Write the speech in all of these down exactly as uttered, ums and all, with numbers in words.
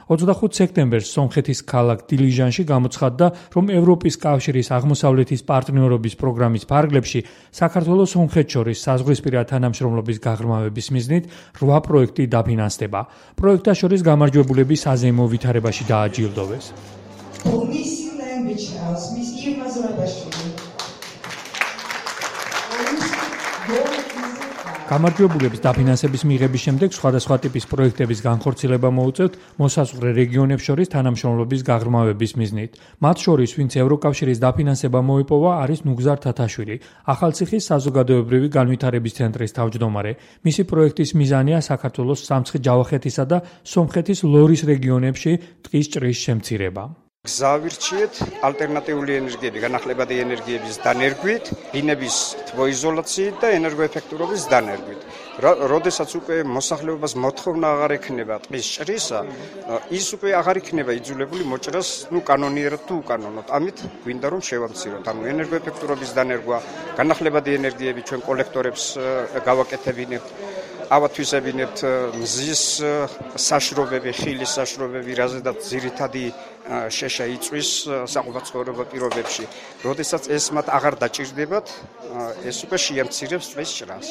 ოცდახუთი სექტემბერს სომხეთის ქალაქ დილიჟანში გამოცხადდა, რომ ევროპის კავშირის აღმოსავლეთის პარტნიორობის პროგრამის ფარგლებში საქართველოს სომხეთს შორის საზღვრისპირა თანამშრომლობის გაღრმავების მიზნით რვა პროექტი დაფინანსდება. პროექტთა შორის გამარჯვებულები საზეიმო ვითარებაში დააჯილდოვეს. გამარჯვებულების დაფინანსების მიღების შემდეგ სხვადასხვა ტიპის პროექტების განხორციელება მოუწევთ მოსაზღვრე რეგიონებს შორის თანამშრომლობის გაღრმავების მიზნით. მათ შორის, ვინც ევროკავშირის დაფინანსება მოიპოვა, არის ნუგზარ თათაშვილი, ახალციხის საზოგადოებრივი განვითარების ცენტრის თავმჯდომარე. მისი პროექტის მიზანია საქართველოს სამცხე-ჯავახეთისა და სომხეთის ლორის რეგიონებში ტყის ჭრის შემცირება. გზავირჩიეთ ალტერნატიული ენერგიები, განახლებადი ენერგიების დანერგვით, ბინების თბოიზოლაციით და ენერგოეფექტურობის დანერგვით. როდესაც უკვე მოსახლეობას მოთხოვნა აღარ ექნება ტყის ჭრისა, ის უკვე აღარ იქნება იძულებული მოჭრას, ნუ კანონიერად თუ უკანონოდ. ამით გვინდა რომ შევამციროთ. ანუ ენერგოეფექტურობის დანერგვა, განახლებადი ენერგიები ჩვენ კოლექტორებს გავაკეთებინებთ. ავათვისებინებთ მზის საშრობები, ხილის საშრობები, რაზედაც ძირითადი შეშა იწვის საყოფაცხოვრებო პირობებში. როდესაც ეს მათ აღარ დაჭირდებათ, ეს უკვე შეამცირებს ტყის ჭრას.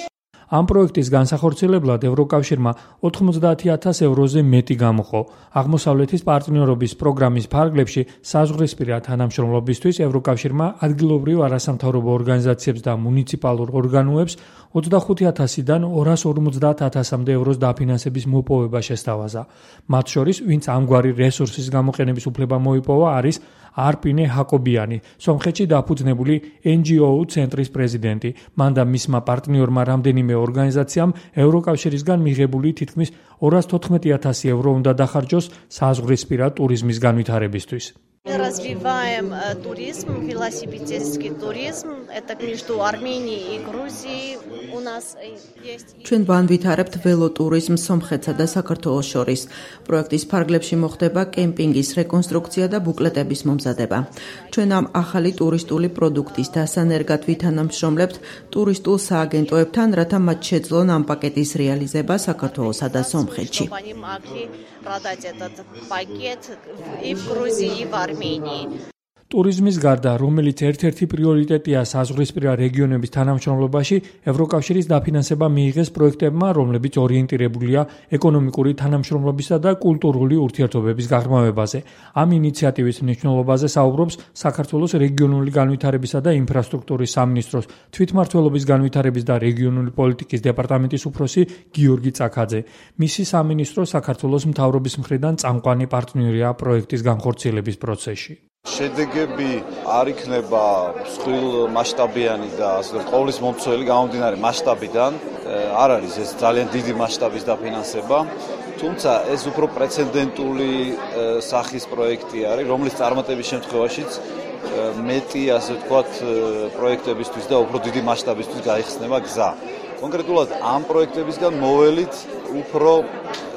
ამ პროექტის განსახორციელებლად ევროკავშირმა ოთხმოცდაათი ათას ევროზე მეტი გამოყო. აღმოსავლეთის პარტნიორობის პროგრამის ფარგლებში საზღვრისპირა თანამშრომლობისთვის ევროკავშირმა ადგილობრივ არასამთავრობო ორგანიზაციებს და მუნიციპალურ ორგანოებს ოცდახუთი ათასიდან ორას ორმოცდაათ ათასამდე ევროს დაფინანსების მოპოვება შესთავაზა. მათ შორის, ვინც ამგვარი რესურსის გამოყენების უფლება მოიპოვა, არის არპინე ჰაკობიანი, სომხეთში დაფუძნებული εν ჯი ო ცენტრის პრეზიდენტი. მან და მისმა პარტნიორმა რამდენიმე ორგანიზაციამ ევროკავშირისგან მიღებული თითქმის ორას თოთხმეტი ათასი евро უნდა დახარჯოს საზღვრისპირა ტურიზმის განვითარებისთვის. Развиваем туризм, велосипедистский туризм. Это между Арменией и Грузией. У нас есть ჩვენ განვითარებთ ველოტურიზმს სომხეთსა და საქართველოს შორის. პროექტის ფარგლებში მოხდება კემპინგის რეკონსტრუქცია და ბუკლეტების მომზადება. ჩვენ ამ ახალი ტურისტული პროდუქტის დასანერგად ვითანამშრომლებთ ტურისტულ სააგენტოებთან, რათა მათ შეძლონ ამ პაკეტის რეალიზება საქართველოსა და სომხეთში. продать этот пакет и в Грузии, и в Армении. ტურიზმის გარდა, რომელიც ერთ-ერთი პრიორიტეტია საზღვრისპირა რეგიონების თანამშრომლობაში, ევროკავშირის დაფინანსება მიიღეს პროექტებმა, რომლებიც ორიენტირებულია ეკონომიკური თანამშრომლობისა და კულტურული ურთიერთობების გაღრმავებაზე. ამ ინიციატივის მნიშვნელობაზე საუბრობს საქართველოს რეგიონული განვითარებისა და ინფრასტრუქტურის სამინისტროს თვითმმართველობის განვითარების და რეგიონული პოლიტიკის დეპარტამენტის უფროსი გიორგი წაქაძე. მისი სამინისტრო საქართველოს მთავრობის მხრიდან წამყვანი პარტნიორია პროექტის განხორციელების პროცესში. შედეგები არ იქნება მსხვილ მასშტაბიანი და ასე ყოვლის მომცველი გამომდინარე მასშტაბიდან არ არის ეს ძალიან დიდი მასშტაბის დაფინანსება, თუმცა ეს უფრო პრეცედენტული სახის პროექტი არის, რომლის წარმატების შემთხვევაშიც მეტი ასე ვთქვათ პროექტებისთვის და უფრო დიდი მასშტაბისთვის გაიხსნება გზა. კონკრეტულად ამ პროექტებისგან მოველით უფრო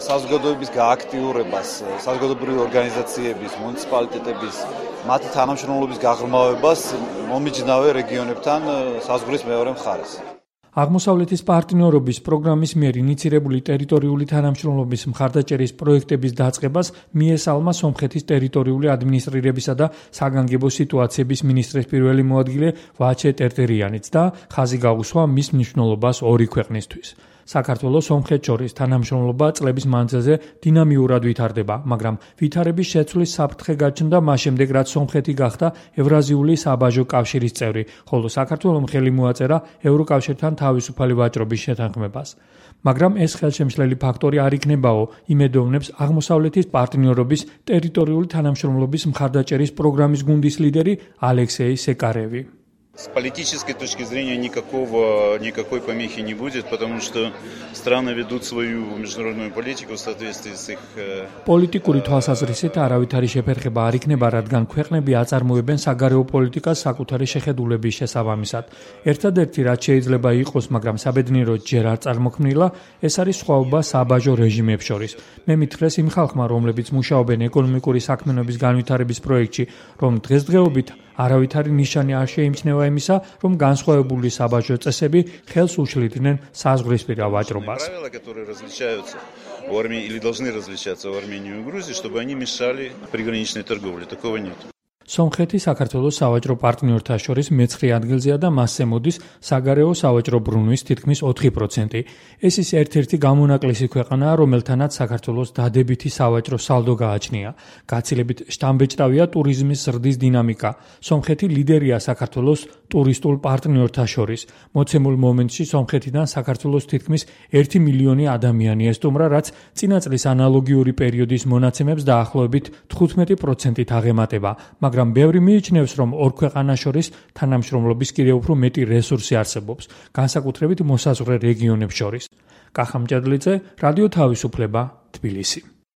საზოგადოების გააქტიურებას, საზოგადოებრივი ორგანიზაციების, მუნიციპალიტეტების, მათი თანამშრომლობის გაღრმავებას მომიჯნავე რეგიონებთან საზღვრის მეორე მხარეს. აღმოსავლეთის პარტნიორობის პროგრამის მიერ ინიცირებული ტერიტორიული თანამშრომლობის მხარდაჭერის პროექტების დაწყებას მიესალმა სომხეთის ტერიტორიული ადმინისტრირებისა და საგანგებო სიტუაციების მინისტრის პირველი მოადგილე ვაჩე ტერტერიანიც და ხაზი გაუსვა მის მნიშვნელობას ორი ქვეყნისთვის. საქართველოს სომხეთს შორის თანამშრომლობა წლების მანძილზე დინამიურად ვითარდება, მაგრამ ვითარების შეცვლის საფრთხე გაჩნდა მას შემდეგ, რაც სომხეთი გახდა ევრაზიული საბაჟო კავშირის წევრი, ხოლო საქართველომ ხელი მოაწერა ევროკავშირთან თავისუფალი ვაჭრობის შეთანხმებას. მაგრამ ეს ხელშემშლელი ფაქტორი არ იქნებაო, იმედოვნებს აღმოსავლეთის პარტნიორობის ტერიტორიული თანამშრომლობის მხარდაჭერის პროგრამის გუნდის ლიდერი ალექსეი სეკარევი. С политической точки зрения никакого, никакой помехи не будет, потому что страны ведут свою международную политику в соответствии с их... პოლიტიკური თვალსაზრისით არავით არის შეფერხება არ იქნება, რადგან ქვეყნები აწარმოებენ საგარეო პოლიტიკას საკუთარი შეხედულების შესაბამისად. ერთადერთი, რაც შეიძლება იყოს, მაგრამ საბედნიეროდ ჯერ არ წარმოქმნილა, ეს არის სხვაობა საბაჟო რეჟიმებს შორის. მე მითხრეს იმ ხალხმა, რომლებიც მუშაობენ ეკონომიკური საქმიანობის განვითარების პროექტში, რომ დღესდღეობით არავითარი ნიშანი არ შეიმჩნევა იმისა, რომ განსხვავებული საბაჟო წესები ხელს უშლიდნენ საზღვრისპირა ვაჭრობას. В Армении или должны различаться в Армении и Грузии, чтобы они мешали приграничной торговле. Такого нет. სომხეთი საქართველოს სავაჭრო პარტნიორთა შორის მეცხრე ადგილზეა და მასზე მოდის საგარეო სავაჭრო ბრუნვის თითქმის ოთხი პროცენტი. ეს ის ერთ-ერთი გამონაკლისი ქვეყანაა, რომელთანაც საქართველოს დადებითი სავაჭრო სალდო გააჩნია. გაცილებით შთამბეჭდავია ტურიზმის ზრდის დინამიკა. სომხეთი ლიდერია საქართველოს ტურისტულ პარტნიორთა შორის. მოცემულ მომენტში სომხეთიდან საქართველოს თითქმის ერთი მილიონი ადამიანი ესტუმრა, რაც წინა წლის ანალოგიური პერიოდის მონაცემებს დაახლოებით თხუთმეტი პროცენტით აღემატება. მაგრამ ბევრი მიიჩნევს, რომ ორ ქვეყანას შორის თანამშრომლობის კიდევ უფრო მეტი რესურსი არსებობს, განსაკუთრებით მოსაზღვრე რეგიონებს შორის. კახა მჭედლიძე, რადიო თავისუფლება, თბილისი.